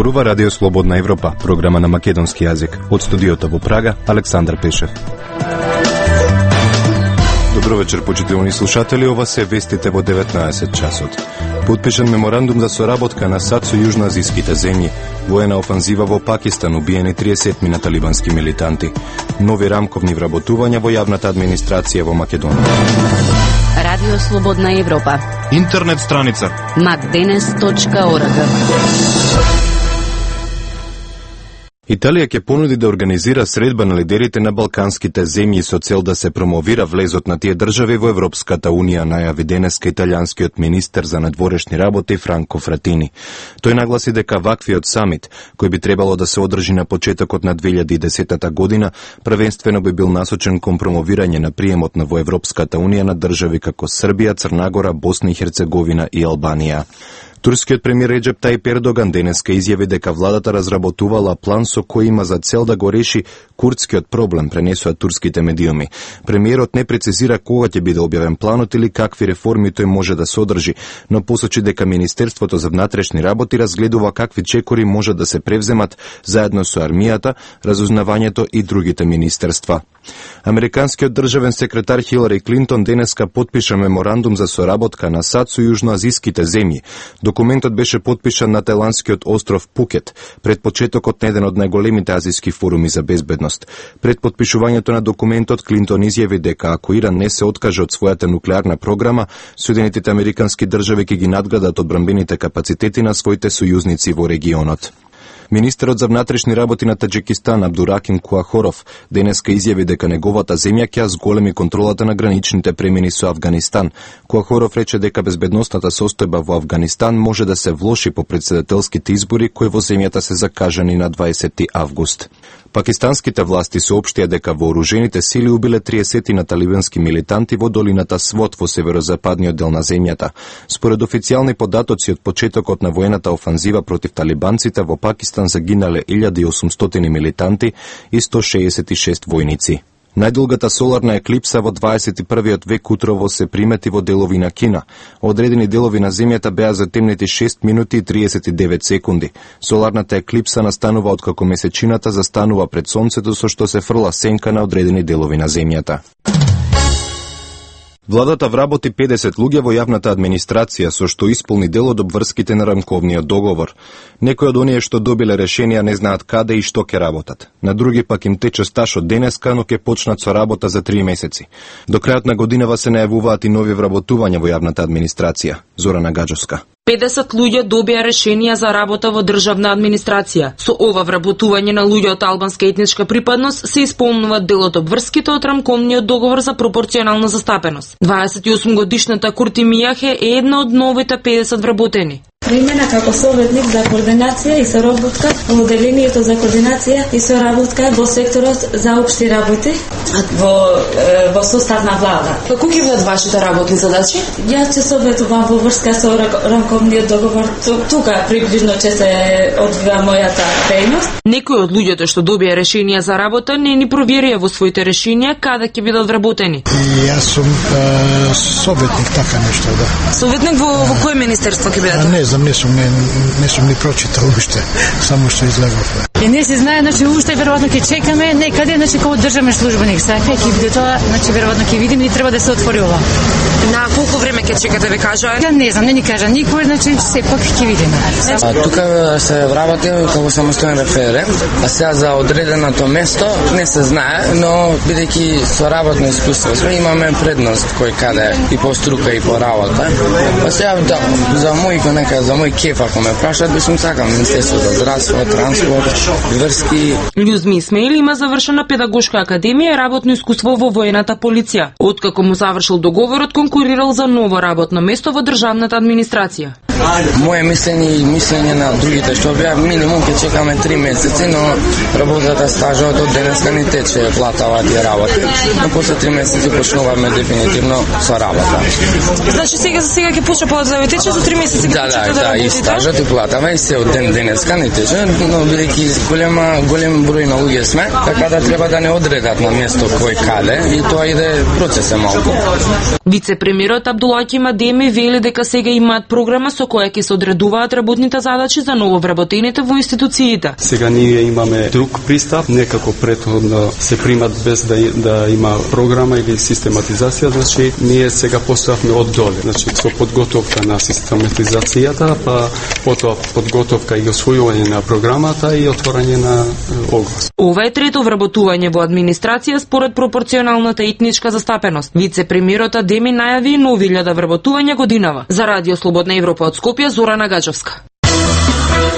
Зборува Радио Слободна Европа, програма на македонски јазик. Од студиото во Прага, Александар Пешев. Добро вечер, почитувани слушатели, ова се вестите во 19 часот. Подпишан меморандум за соработка на САД со јужноазиските земји. Воена офанзива во Пакистан, убиени 30 на талибански милитанти. Нови рамковни вработувања во јавната администрација во Македонија. Радио Слободна Европа. Интернет страница macdenes.org. Италија ќе понуди да организира средба на лидерите на балканските земји со цел да се промовира влезот на тие држави во Европската Унија, најави денеска италијанскиот министер за надворешни работи Франко Фратини. Тој нагласи дека ваквиот самит, кој би требало да се одржи на почетокот на 2010 година, првенствено би бил насочен кон промовирање на приемот на во Европската Унија на држави како Србија, Црна Гора, Босна и Херцеговина и Албанија. Турскиот премиер Реджеп Тајип Ердоган денеска изјави дека владата разработувала план со кој има за цел да го реши курдскиот проблем, пренесува турските медиуми. Премиерот не прецизира кога ќе биде објавен планот или какви реформи тој може да содржи, но посочи дека Министерството за внатрешни работи разгледува какви чекори може да се превземат заедно со армијата, разузнавањето и другите министерства. Американскиот државен секретар Хилари Клинтон денеска потпиша меморандум за соработка на САД со јужноазиските земји. Документот беше потпишан на тајландскиот остров Пукет, пред почетокот на еден од најголемите азиски форуми за безбедност. Пред потпишувањето на документот, Клинтон изјави дека ако Иран не се откаже од својата нуклеарна програма, Соединетите американски држави ќе ги надградат одбранбените капацитети на своите сојузници во регионот. Министерот за внатрешни работи на Таџикистан Абдураким Куахоров денеска изјави дека неговата земја ќе зголеми контролата на граничните премини со Авганистан. Куахоров рече дека безбедносната состојба во Авганистан може да се влоши по претседателските избори кои во земјата се закажани на 20 август. Пакистанските власти соопштија дека вооружените сили убиле 30 на талибански милитанти во долината Свот во северозападниот дел на земјата. Според официјални податоци од почетокот на воената офанзива против талибанците во Пакистан загинале 1800 милитанти и 166 војници. Најдолгата соларна еклипса во 21. век утрово се примети во делови на Кина. Одредени делови на земјата беа затемнети 6 минути и 39 секунди. Соларната еклипса настанува откако месечината застанува пред сонцето со што се фрла сенка на одредени делови на земјата. Владата вработи 50 луѓе во јавната администрација со што исполни дел од обврските на рамковниот договор. Некои од оние што добиле решенија не знаат каде и што ќе работат. На други пак им тече стаж од денеска, но ќе почнат со работа за 3 месеци. До крајот на годинава се најавуваат и нови вработувања во јавната администрација. Зорана Гаджовска. 50 луѓе добија решенија за работа во државна администрација. Со ова вработување на луѓе од албанска етничка припадност се исполнуваат дел од обврските од рамковниот договор за пропорционална застапеност. 28 годишната Курти Мијахе е една од новите 50 вработени. Примена како советник за координација и соработка во одделението за координација и соработка во секторот за општи работи во состав на влада. Како ќе бидат вашите работни задачи? Јас ќе советувам во врска со рамковниот договор. Тука приближно ќе се одвива мојата дејност. Некои од луѓето што добија решенија за работа не ни проверија во своите решенија каде ќе бидат вработени. Јас сум советник, така нешто, да. Советник во кој министерство ќе бидат? Не знам, не сум ни прочитал уште, само што излеговме. И не се знае, значи уште веројатно ќе чекаме некаде, значи како државен службеник. Сака ќе биде тоа, значи веројатно ќе видиме и треба да се отвори ова. На колку време ќе чекате, ве кажа? Ја не знам, не ни кажа никој, значи сепак ќе видиме. Тука се вработи како самостоен референт, а сега за одреденото место не се знае, но бидејќи со работно искуство сме имаме предност кој каде и по струка и по работа. Па сега за мој кеф ако ме прашат, би сум сакал Министерство за здравство, транспорт, врски. Љузми Исмаил има завршена педагошка академија и работно искуство во воената полиција. Откако му завршил договорот, конкурирал за ново работно место во државната администрација. Моje мислење и мислење на другите што беа минимум ќе чекаме 3 месеци, но работата стажот од денеска ни тече платава тие работи. Но после 3 месеци почнуваме дефинитивно со работа. Значи сега ќе почне плата да тече со 3 месеци ќе почне да работи. И стажот и платава и се од денеска ни тече, но бидејќи голем број на луѓе сме, така да треба да не одредат на место кој каде и тоа иде процес е малку. Вице-премиерот Абдулаки Мадеми вели дека сега имаат програма со која ќе се одредуваат работните задачи за нововработените во институциите. Сега ние имаме друг пристап, некако претходно се примат без да има програма или систематизација, значи ние сега поставме од доле, значи со подготовка на систематизацијата, па потоа подготовка и освојување на програмата и отворање на оглас. Ова е трето вработување во администрација според пропорционалната етничка застапеност. Вице-премиерот Адеми најави нови 1000 вработувања годинава. За Радио Слободна Европа од Скопје, Зорана Гаџовска.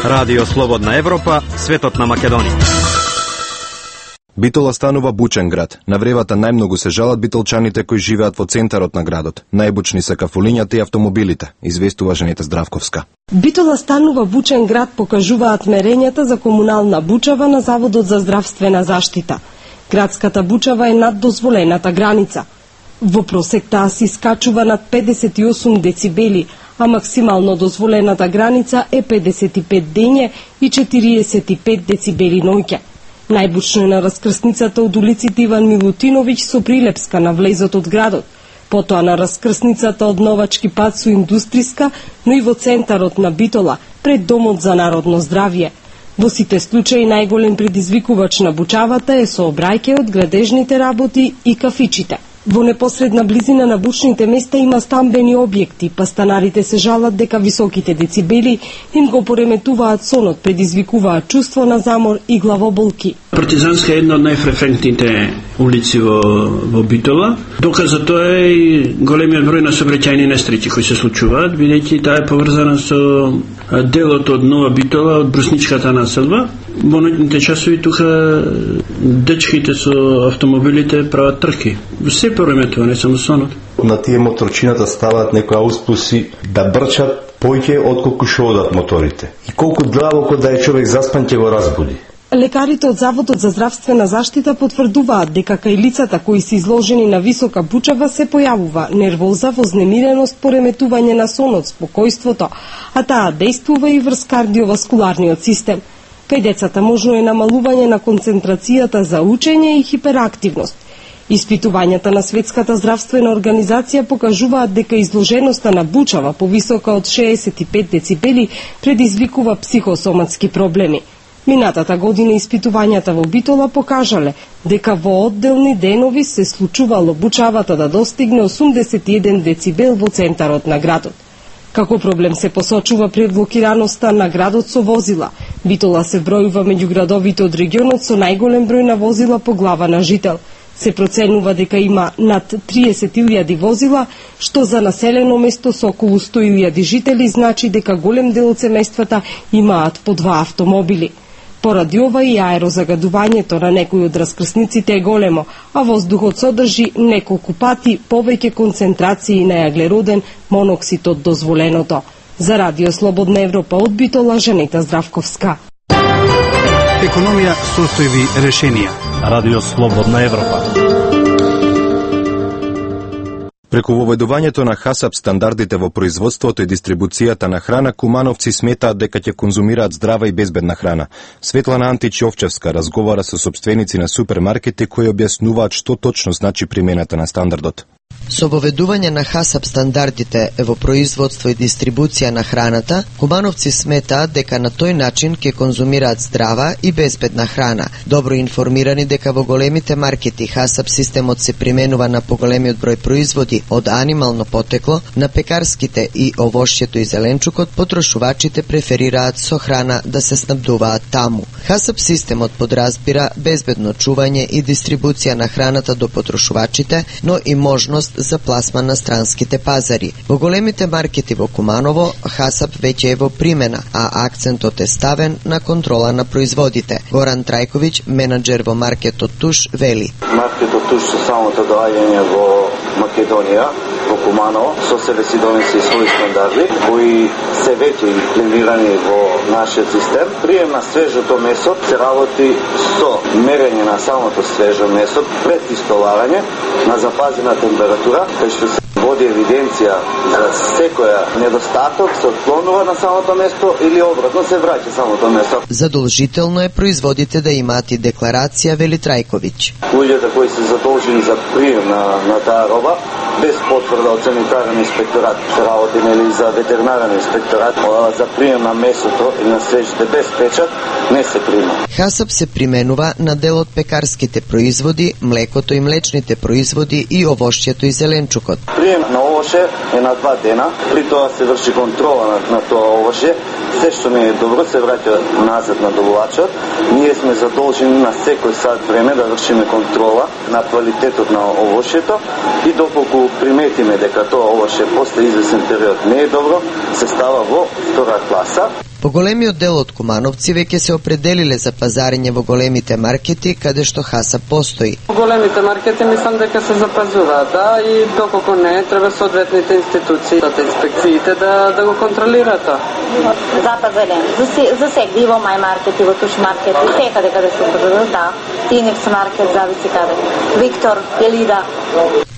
Радио Слободна Европа, светот на Македонија. Битола станува бучен град. На вревата најмногу се жалат битолчаните кои живеат во центарот на градот. Најбучни се кафулињата и автомобилите, известува Жанета Здравковска. Битола станува бучен град, покажуваат мерењата за комунална бучава на Заводот за здравствена заштита. Градската бучава е над дозволената граница. Во просек таа се искачува над 58 децибели, а максимално дозволената граница е 55 дење и 45 децибели ноќе. Најбучно е на раскрсницата од улиците Иван Милутиновиќ со Прилепска на влезот од градот, потоа на раскрсницата од Новачки пат со Индустриска, но и во центарот на Битола, пред Домот за народно здравје. Во сите случаи најголем предизвикувач на бучавата е сообраќајот, градежните работи и кафичите. Во непосредна близина на бучните места има стамбени објекти, па станарите се жалат дека високите децибели им го пореметуваат сонот, предизвикуваат чувство на замор и главоболки. Партизанска е една од најфреквентните улици во Битола. Доказ за тоа е и големиот број на сообраќајни несреќи кои се случуваат, бидејќи таа е поврзана со делот од Нова Битола, од брусничката населба. Во ноќните часови тука дечките со автомобилите прават трки. Се пореметува, не само сонот. На тие моторчината ставаат некои ауспуси да брчат поќе отколку што одат моторите. И колку длабоко да е човек заспан ќе го разбуди. Лекарите од Заводот за здравствена заштита потврдуваат дека кај лицата кои се изложени на висока бучава се појавува нервоза, вознемиреност, пореметување на сонот, спокојството, а таа действува и врз кардиоваскуларниот систем. Кај децата можно е намалување на концентрацијата за учење и хиперактивност. Испитувањата на Светската здравствена организација покажуваат дека изложеноста на бучава повисока од 65 децибели предизвикува психосоматски проблеми. Минатата година испитувањата во Битола покажале дека во одделни денови се случувало бучавата да достигне 81 децибел во центарот на градот. Како проблем се посочува преблокираноста на градот со возила. Битола се бројува меѓу градовите од регионот со најголем број на возила по глава на жител. Се проценува дека има над 30.000 возила, што за населено место со околу 100.000 жители значи дека голем дел од семејствата имаат по 2 автомобили. Поради ова и аерозагадувањето на некои од раскрсниците е големо, а воздухот содржи неколку пати повеќе концентрации на јаглероден моноксид од дозволеното. За Радио Слободна Европа од Битола, Жанета Здравковска. Економија, состојби, решенија. Радио Слободна Европа. Преку воведувањето на ХАСАП стандардите во производството и дистрибуцијата на храна, кумановци сметаат дека ќе конзумираат здрава и безбедна храна. Светлана Антич-Овчевска разговара со сопственици на супермаркети кои објаснуваат што точно значи примената на стандардот. Со воведување на ХАСАП стандардите во производство и дистрибуција на храната, кумановци сметаат дека на тој начин ќе конзумираат здрава и безбедна храна. Добро информирани дека во големите маркети ХАСАП системот се применува на поголемиот број производи од анимално потекло, на пекарските и овошјето и зеленчукот, потрошувачите преферираат со храна да се снабдуваат таму. ХАСАП системот подразбира безбедно чување и дистрибуција на храната до потрошувачите, но и можност за пласман на странските пазари. Во големите маркети во Куманово, ХАСАП веќе е во примена, а акцентот е ставен на контрола на производите. Горан Трајковиќ, менаџер во маркетот Туш, вели: Маркетот Туш со самото доаѓање во Македонија, во Куманово, со себе си донесе своји стандарди, кои се веќе имплементирани во нашиот систем. Прием на свежото месо се работи со мерење на самото свежо месо пред истоларање на запазена температура, кај што се води евиденција за секоја недостаток, се отклонува на самото место или обратно се враќа самото месо. Задолжително е производите да имаат и декларација, вели Трајковиќ. Луѓето кои се задолжени за прием на таа роба без потврда од санитарен инспекторат, работи нели за ветеринарен инспекторат, за прием на месото и на свежите без печат не се прима. ХАСАП се применува на дел од пекарските производи, млекото и млечните производи и овошјето и зеленчукот. Прием на овоше е на 2 дена, при тоа се врши контрола на тоа овоше. Се што не е добро се враќа назад на добувачот. Ние сме задолжени на секој сат време да вршиме контрола на квалитетот на овошјето и доколку приметиме дека тоа овоше после извесен период не е добро, се става во втора класа. Поголемиот дел од кумановци веќе се определиле за пазарење во големите маркети каде што ХАСАП постои. Големите маркети мислам дека се запазуваат, да, и доколку не, треба соодветните институции, инспекциите да го контролираат тоа. Запазарен. За сегде и во мај маркет и во туш маркет, и секаде каде се продадат, да. Феникс маркет, зависи каде. Виктор, Елида.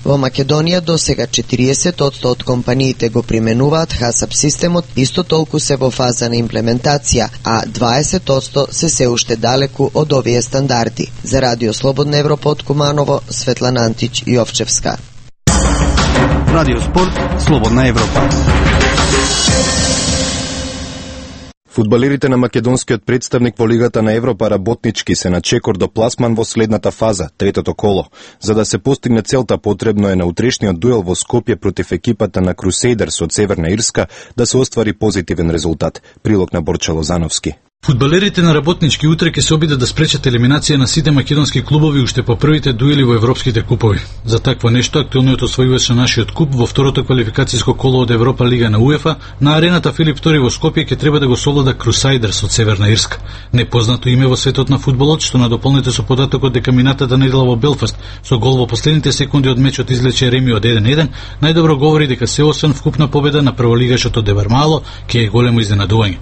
Во Македонија досега 40% од компаниите го применуваат ХАСАП системот, исто толку се во фаза на имплементација, а 20% се уште далеку од овие стандарди. За Радио Слободна Европа од Куманово, Светлана Антич Јовчевска. Радио Спорт, Слободна Европа. Фудбалерите на македонскиот представник во Лигата на Европа работнички се на чекор до пласман во следната фаза, третото коло. За да се постигне целта, потребно е на утрешниот дуел во Скопје против екипата на Крусейдерс од Северна Ирска да се оствари позитивен резултат. Прилог на Борче Лозановски. Фудбалерите на работнички утре ќе се обидат да спречат елиминација на сите македонски клубови уште по првите дуели во европските купови. За такво нешто актуелниот освојувач на нашиот куп во второто квалификацијско коло од Европа Лига на УЕФА на арената Филип II во Скопје ќе треба да го совлада Крусайдерс од Северна Ирска. Непознато име во светот на фудбалот, што надополнете со податокот дека минатата недела во Белфаст со гол во последните секунди од мечот излече реми од 1-1, најдобро говори дека се освен вкупна победа на прволигашот од Дебармало ќе е големо изненадување.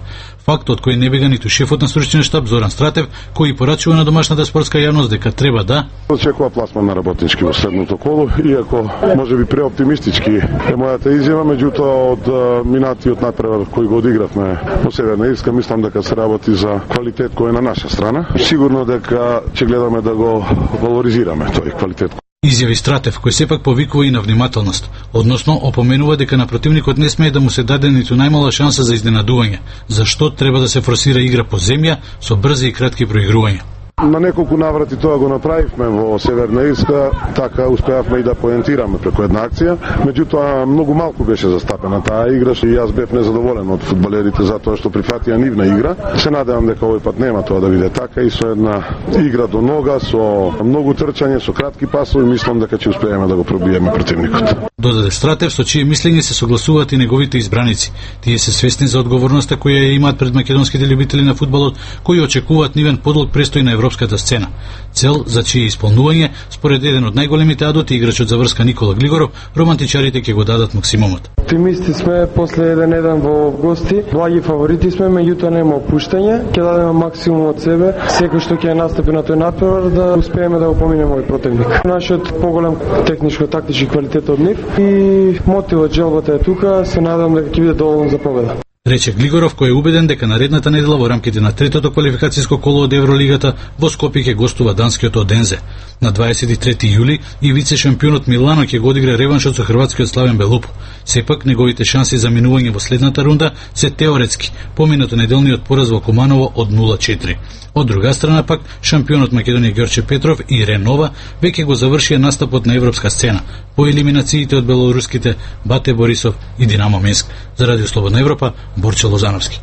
Фактот кој не бега ниту шефот на стручниот штаб Зоран Стратев, кој порачува на домашната спортска јавност дека треба да очекува пласман на работнички во следното коло, иако можеби преоптимистички е мојата изјава, меѓутоа од минатиот напревар кој го одигравме во Северна Ирска, мислам дека се работи за квалитет кој е на наша страна. Сигурно дека ќе гледаме да го валоризираме тој квалитет. Изјави Стратев, кој сепак повикува и на внимателност, односно опоменува дека на противникот не смее да му се даде ниту најмала шанса за изненадување, зашто треба да се форсира игра по земја со брзи и кратки проигрувања. На неколку наврати тоа го направивме во Северна Ирска, така успеавме и да поентираме преку една акција, меѓутоа многу малку беше застапена таа игра и јас бев незадоволен од фудбалерите затоа што прифатија нивна игра. Се надевам дека овој пат нема тоа да биде така и со една игра до нога, со многу трчање, со кратки пасови, мислам дека ќе успееме да го пробиеме противникот. Додаде Стратев, со чие мислење се согласуваат и неговите избраници. Тие се свесни за одговорноста која ја имаат пред македонските љубители на фудбалот, кои очекуваат нивен подлог престој на европската сцена. Цел за чие исполнување, според еден од најголемите адути, играчот за врска Никола Глигоров, романтичарите ќе го дадат максимумот. Оптимисти сме после 1-1 во гости, благи фаворити сме, меѓутоа нема опуштање, ќе дадеме максимум од себе, секој што ќе настапи на тој натпревар да успееме да го поминеме овој противник. Нашиот поголем техничко-тактички квалитет од нив и мотивот, желбата е тука, се надевам дека ќе биде доволен за победа. Рече Глигоров, кој е убеден дека наредната недела во рамките на третото квалификацијско коло од Евролигата во Скопје ќе гостува данскиот Одензе. На 23 јули и вице-шампионот Милано ќе го одигра реваншот со хрватскиот Славен Белупо. Сепак неговите шанси за минување во следната рунда се теоретски, поминато неделниот пораз во Куманово од 0-4. Од друга страна пак, шампионот Македонија Ѓорче Петров и Ренова веќе го завршија настапот на европска сцена по елиминациите од белоруските Бате Борисов и Динамо Минск. За Радио Слободна Европа, Борче Лозановски.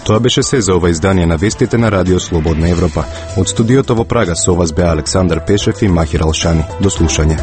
Тоа беше се за ова издание на вестите на Радио Слободна Европа. Од студиото во Прага со вас беа Александар Пешев и Махир Алшани. До слушање.